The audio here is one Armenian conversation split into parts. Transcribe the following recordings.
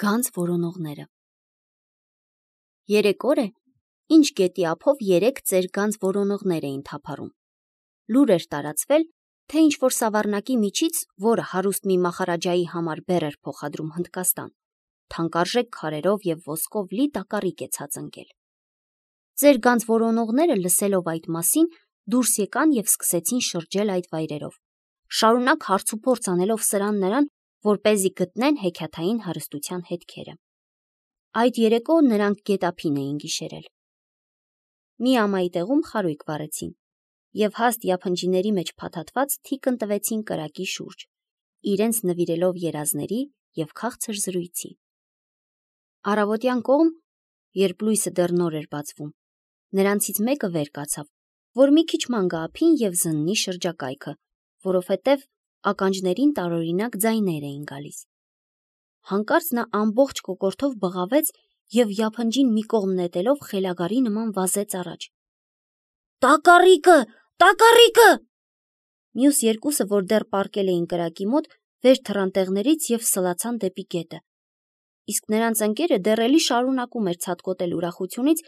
Գանձ որոնողները։ Երեք օր է, ինչ գետի ափով 3 ծեր գանձ որոնողներ էին թափառում։ Լուր էր տարածվել, թե ինչ-որ սավառնակի միջից, որը հարուստ մի մախարաջայի համար բեռ էր փոխադրում Հնդկաստան, թանկարժեք քարերով և ոսկով լի տակառիկ է ցած ընկել։ Ծեր գանձ որոնողները լսելով այդ մասին, դուրս եկան և սկսեցին շրջել այդ վայրերով, շարունակ հարցուփորձ անելով սրան նրան, որպեսզի գտնեն հեքիաթային հարստության հետքերը։ Այդ երեկո նրանք գետափին էին գիշերել։ Մի ամայի տեղում խարույկ վառեցին և հաստ յափնջիների մեջ փաթաթված թիկն տվեցին կրակի շուրջ, իրենց նվիրելով երազների և քաղցր զրույցի։ Առավոտյան կողմ, երբ լույսը դեռ նոր էր բացվում, նրանցից մեկը վեր կացավ, որ մի քիչ ման գա ափին և զննի շրջակայքը, որովհետև ականջներին տարօրինակ ձայներ էին գալիս։ Հանկարծ նա ամբողջ կոկորդով բղավեց և յափնջին մի կողմ նետելով խելագարի նման վազեց առաջ։ «Տակառիկը, տակառիկը»։ Մյուս երկուսը, որ դեռ պառկել էին կրակի մոտ, վեր թռան տեղներից և սլացան դեպի գետը։ Իսկ նրանց ընկերը դեռ էլի շարունակում էր ցատկոտել ուրախությունից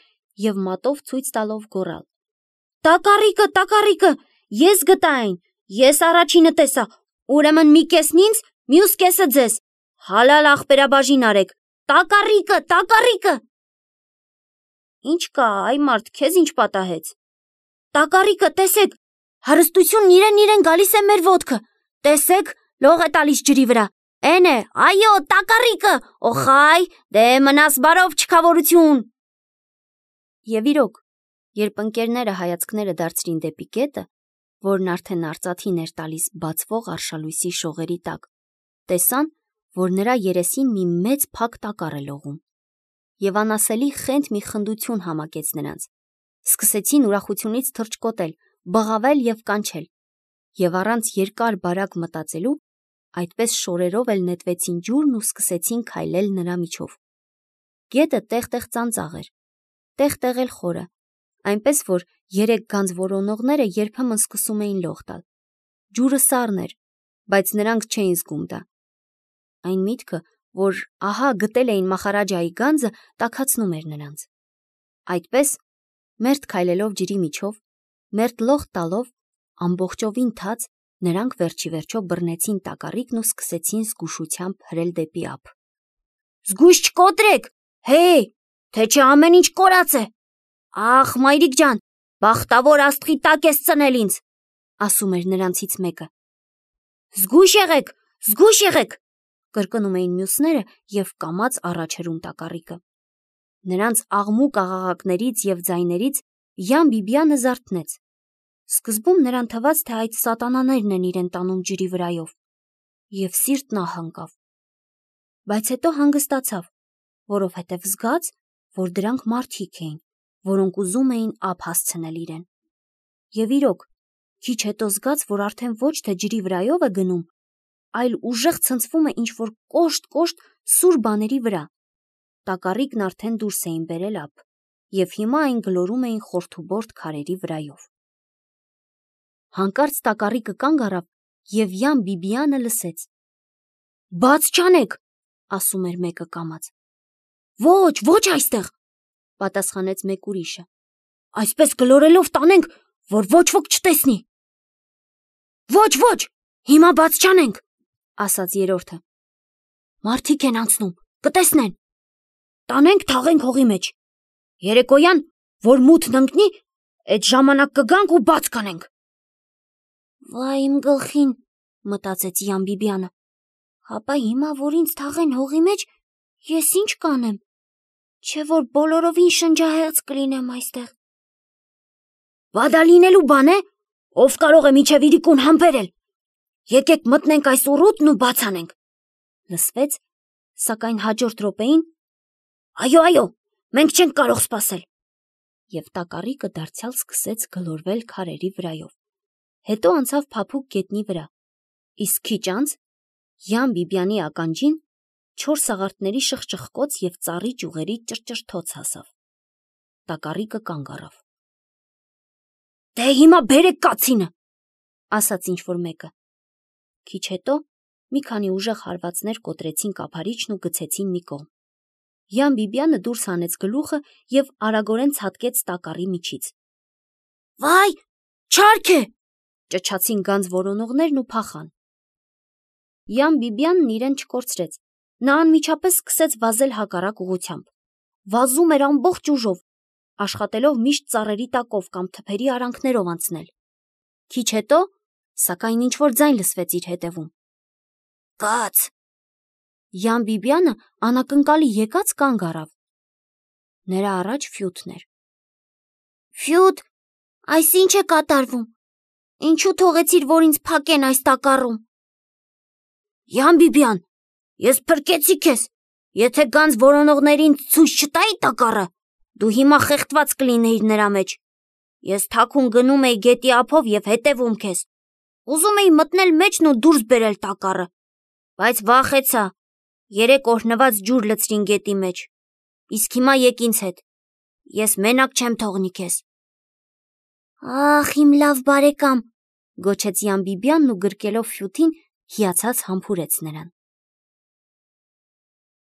և մատով ցույց տալով գոռալ. «Տակառիկը, տակառիկը, ես գտա այն, ես առաջինը տեսա, ուրեմն մի կեսն ինձ, մյուս կեսը ձեզ, հալալ ախպերաբաժին արեք, տակառիկը, տակառիկը»։ «Ինչ կա, այ մարդ, քեզ ինչ պատահեց»։ «Տակառիկը, տեսեք, հարստությունն իրեն գալիս է մեր ոտքը, տեսեք, լող է տալիս ջրի վրա, էն է, այո, տակառիկը, օխայ, դե մնաս բարով, չքավորություն»։ Եվ իրոք, երբ ընկերները հայացքները դարձրին դեպի գետը, որն արդեն արծաթին էր տալիս բացվող արշալույսի շողերի տակ, տեսան, որ նրա երեսին մի մեծ փակ տակառ է լողում, և անասելի խենթ մի խնդություն համակեց նրանց, սկսեցին ուրախությունից թռչկոտել, բղավել և կանչել, և առանց երկար բարակ մտածելու, այդպես շորերով էլ նետվեցին ջուրն ու սկսեցին քայլել նրա միջով։ Գետը տեղ-տեղ ծանծաղ էր, տեղ-տեղ էլ խորը, այնպես որ 3 գանձ որոնողները երբեմն սկսում էին լող տալ։ Ջուրը սառն էր, բայց նրանք չէին զգում դա։ Այն միտքը, որ ահա գտել էին մախարաջայի գանձը, տաքացնում էր նրանց։ Այդպես, մերթ քայլելով ջրի միջով, մերթ լող տալով, ամբողջովին թաց, նրանք վերջիվերջո բռնեցին տակառիկն ու սկսեցին զգուշությամբ հրել դեպի ափ։ «Զգույշ չկոտրեք, հե՜, թե չէ ամեն ինչ կորած է։ Ախ, մայրիկ ջան, բախտավոր աստղի տակ ես ծնել ինձ», ասում էր նրանցից մեկը։ Զգույշ եղեք, կրկնում էին մյուսները և կամաց առաջ հրում տակառիկը։ Նրանց աղմուկ աղաղակներից և ձայներից Յան Բիբիանը զարթնեց։ Սկզբում նրան թվաց, թե այդ սատանաներն են իրեն տանում ջրի վրայով, և սիրտն ահ ընկավ։ Բայց հետո հանգստացավ, որովհետև զգաց, որ դրանք մարդիկ էին, որոնք ուզում էին ափ հասցնել իրեն։ Եվ իրոք, քիչ հետո զգաց, որ արդեն ոչ թե ջրի վրայով է գնում, այլ ուժեղ ցնցվում է ինչ-որ կոշտ սուր բաների վրա։ Տակառիկն արդեն դուրս էին բերել ափ, և հիմա այն գլորում էին խորթուբորդ քարերի վրայով։ Հանկարծ տակառիկը կանգ առավ, և Յան Բիբիանը լսեց։ «Բաց չանեք», ասում էր մեկը կամաց։ Ոչ այստեղ», պատասխանեց մեկ ուրիշը։ «Այսպես գլորելով տանենք, որ ոչ ոք չտեսնի»։ Ոչ, հիմա բաց չանենք», ասաց երրորդը։ «Մարդիկ են անցնում, կտեսնեն։ Տանենք թաղենք հողի մեջ։ Երեկոյան, որ մութն ընկնի, էդ ժամանակ կգանք ու բաց կանենք»։ «Վայ իմ գլխին», մտածեց Յան Բիբիանը, «հապա հիմա, որ ինձ թաղեն հողի մեջ, ես ինչ կանեմ, չէ որ բոլորովին շնջահեղձ կլինեմ այստեղ»։ «Բա դա լինելու բան է, ով կարող է մինչև իրիկուն համբերել։ Եկեք մտնենք այս ուռուտն ու բաց անենք», լսվեց, սակայն հաջորդ րոպեին. «Այո, մենք չենք կարող սպասել»։ Եվ տակառիկը դարձյալ սկսեց գլորվել քարերի վրայով, հետո անցավ փափուկ գետնի վրա, իսկ քիչ անց Յան Բիբիանի ականջին 4 սաղարթների շխչխկոց և ծառի ճյուղերի ճռճռթոց հասավ։ Տակառիկը կանգ առավ։ «Դե հիմա բերեք կացինը», ասաց ինչ-որ մեկը։ Քիչ հետո մի քանի ուժեղ հարվածներ կոտրեցին կափարիչն ու գցեցին մի կողմ։ Յան Բիբյանը դուրս հանեց գլուխը և արագորեն ցատկեց տակառի միջից։ «Վայ, չարք է!» ճչացին գանձ որոնողներն ու փախան։ Յան Բիբյանն իրեն չկորցրեց։ Նա անմիջապես սկսեց վազել հակառակ ուղղությամբ։ Վազում էր ամբողջ ուժով, աշխատելով միշտ ծառերի տակով կամ թփերի արանքներով անցնել։ Քիչ հետո, սակայն ինչ-որ ձայն լսվեց իր հետևում։ «Կաց»։ Յան Բիբյանը անակնկալի եկած կանգ առավ։ Նրա առաջ Ֆյութն էր։ «Ֆյութ, այս ինչ է կատարվում։ Ինչու թողեցիր, որ ինձ փակեն այս տակառում»։ «Յան Բիբյան, ես փրկեցի քեզ։ Եթե գանձ որոնողներին ցույց չտայի տակառը, դու հիմա խեղդված կլինեիր նրա մեջ։ Ես թաքուն գնում էի գետի ափով և հետևում քեզ։ Ուզում էի մտնել մեջն ու դուրս բերել տակառը, բայց վախեցա։ Երեք օրհնված ջուր լցրին գետի մեջ։ Իսկ հիմա եկ ինձ հետ։ Ես մենակ չեմ թողնի քեզ»։ «Ախ, իմ լավ բարեկամ», գոչեց Յան Բիբյանն ու գրկելով Ֆյութին, հիացած համբուրեց նրան։